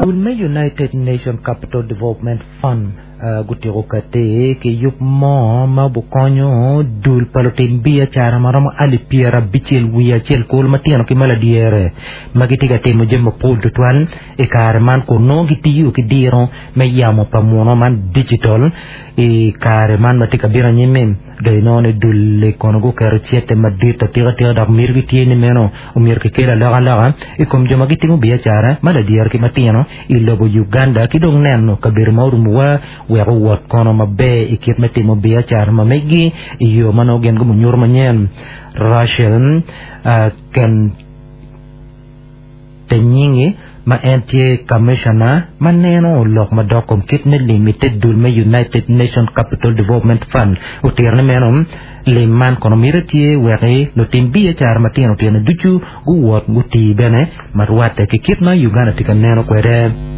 Dul me United Nations Capital Development Fund gutyeko kati ki yub mo ma obikonyo dul pa lutim biacara ma romo alip 61 kulu matino ki ma ladyere ma gitye ka timo jami mapol tutwal i kare man kun nongo gitiyo ki diro me yamo pa muno man digital i kare man ma tye ka bino anyim-mi. Dong inongo ni dul-li kono guketo cente madit atika tika dok mitigi tye ni meno omyero kikel alokaloka i kom jo ma gitimo biacara ma ladyere ki matino i lobo Uganda ki dong neno kabedo ma orumowa wek owot kono maber i kit me timo biacara ma megi i yo ma nongo gin gunyuto manyen. Rachel Kentenyingi ma en tye Kamishona ma neno lok madok kom kit me lim i te dul me United Nations Capital Development Fund otito ni meno lim man kono mite tye wek lutim biacara matino tino ducu guwot gutii bene ma rwatte ki kit ma Uganda tye ka neno kwede.